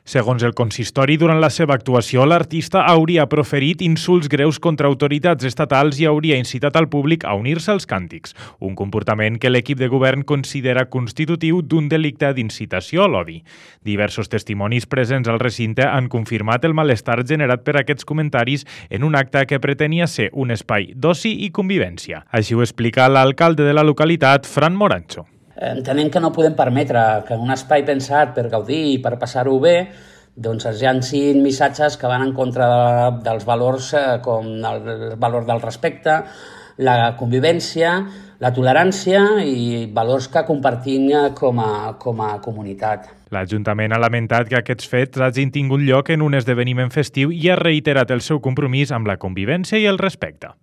Segons el consistori, durant la seva actuació, l'artista hauria proferit insults greus contra autoritats estatals i hauria incitat al públic a unir-se als càntics, un comportament que l'equip de govern considera constitutiu d'un delicte d'incitació a l'odi. Diversos testimonis presents al recinte han confirmat el malestar generat per aquests comentaris en un acte que pretenia ser un espai d'oci i convivència. Així ho explica l'alcalde de la localitat, Fran Morancho. Entenem que no podem permetre que en un espai pensat per gaudir i per passar-ho bé doncs es llancin missatges que van en contra dels valors com el valor del respecte, la convivència, la tolerància i valors que compartim com a comunitat. L'Ajuntament ha lamentat que aquests fets hagin tingut lloc en un esdeveniment festiu i ha reiterat el seu compromís amb la convivència i el respecte.